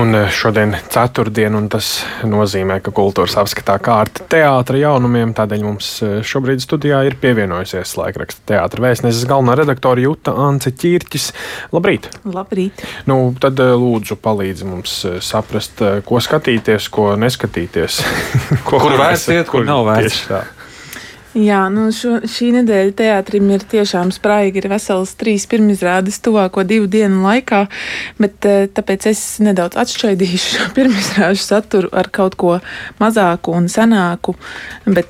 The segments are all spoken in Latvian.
Un šodien ceturtdien, un tas nozīmē, ka kultūras apskatā kārta teātra jaunumiem. Tādēļ mums šobrīd studijā ir pievienojusies laikraksta teātra vēstneses galvenā redaktore Juta Ance Ķirķis. Labrīt! Labrīt! Tad lūdzu palīdzi mums saprast, ko skatīties, ko neskatīties. Kur vērts iet, kur nav vērts. Jā, šī nedēļa teātrim ir tiešām spraigi, ir vesels 3 pirmizrādes tuvāko 2 dienu laikā, bet tāpēc es nedaudz atšķaidīšu šo pirmizrāžu saturu ar kaut ko mazāku un senāku.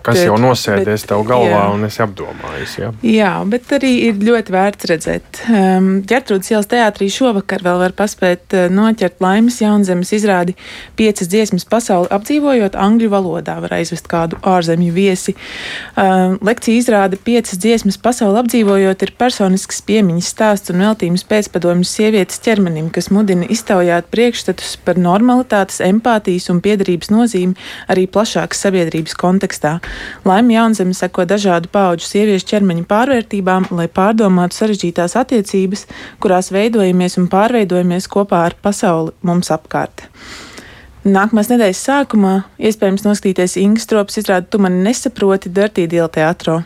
Kas jau nosēdies tev galvā un esi apdomājis, jā? Jā, bet arī ir ļoti vērts redzēt. Ģertrūdes ielas teātrī šovakar vēl var paspēt noķert Laimes Jaunzemes izrādi 5 dziesmas pasauli apdzīvojot angļu valodā, var aizvest kādu ārzemju viesi. Lekcija izrāda 5 dziesmas pasauli apdzīvojot ir personisks piemiņas stāsts un veltījums pēcpadomju sievietes ķermenim, kas mudina iztaujāt priekšstatus par normalitātes, empātijas un piederības nozīmi arī plašākas sabiedrības kontekstā. Laime Jaunzeme seko dažādu paudžu sieviešu ķermeņa pārvērtībām, lai pārdomātu sarežģītās attiecības, kurās veidojamies un pārveidojamies kopā ar pasauli mums apkārt. Nākamās nedēļas sākumā iespējams noskatīties Ingas Stropas izrādi Tu mani nesaproti Dirty Deal teātrā.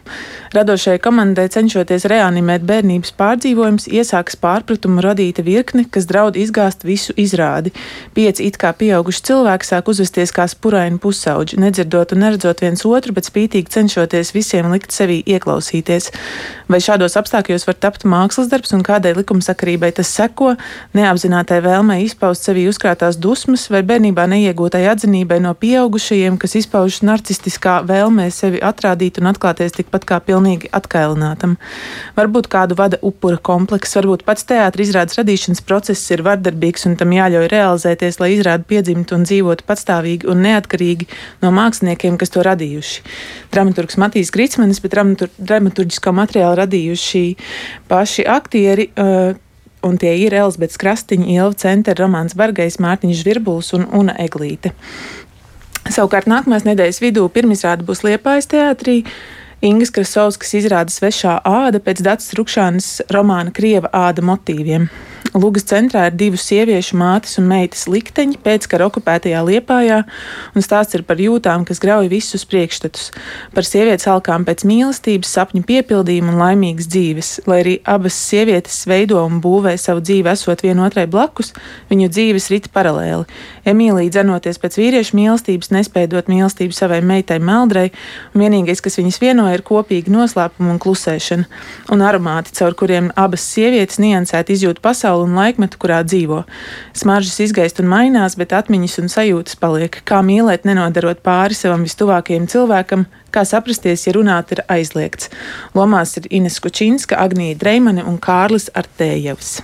Radošajai komandai cenšoties reanimēt bērnības pārdzīvojumus, iesākas pārpratumu radīta virkne, kas draud izgāzt visu izrādi. 5 it kā pieauguši cilvēki sāk uzvesties kā spuraini pusauģi, nedzirdot un neredzot viens otru, bet spītīgi cenšoties visiem likt sevī ieklausīties. Vai šādos apstākļos var tapt mākslas darbs un kādai likumsakarībai tas seko, neapzinātai vēlmei izpaust sevī uzkrātās dusmas vai bērnībā neiegūtai atzinībai no pieaugušajiem, kas izpaužas narcistiskā vēlmē sevi atrādīt un atklāties tikpat kā pilnīgi atkailinātam. Varbūt kādu vada upura komplekss, varbūt pats teātra izrādes radīšanas process ir vardarbīgs un tam jāļauj realizēties, lai izrāde piedzimtu un dzīvotu patstāvīgi un neatkarīgi no māksliniekiem, kas to radījuši. Dramaturgs Matīs Gricmanis, bet dramaturģisko materiālu radījuši paši aktieri, un tie ir Elzbetes Krastiņa, Ilva Centera, Romāns Bargais, Mārtiņš Žvirbuls un Una Eglīte. Savukārt nākamās nedēļas vidū pirmizrāde būs Liepājas teātrī. Ingas Krasovskas izrāda Svešā āda pēc Dacas Rukšānas romāna Krieva āda motīviem. Lugas centrā ir 2 sieviešu mātes un meitas likteņi pēckara okupētajā Liepājā, un stāsts ir par jūtām, kas grauj visus priekšstatus, par sievietes alkām pēc mīlestības, sapņu piepildījuma un laimīgas dzīves. Lai arī abas sievietes veido un būvē savu dzīvi esot vienotrai blakus, viņu dzīves rit paralēli. Emīlija dzenoties pēc vīriešu mīlestības, nespēja dot mīlestību savai meitai Meldrai, un vienīgais, kas viņas vieno, ir kopīgi noslēpuma un klusēšana, un aromāti, caur kuriem abas sievietes niansēti izjūt pasauli un laikmetu, kurā dzīvo. Smaržas izgaist un mainās, bet atmiņas un sajūtas paliek. Kā mīlēt, nenodarot pāri savam vistuvākajam cilvēkam, kā saprasties, ja runāt ir aizliegts. Lomās ir Ines Kučinska, Agnija Dreimane un Kārlis Artējevs.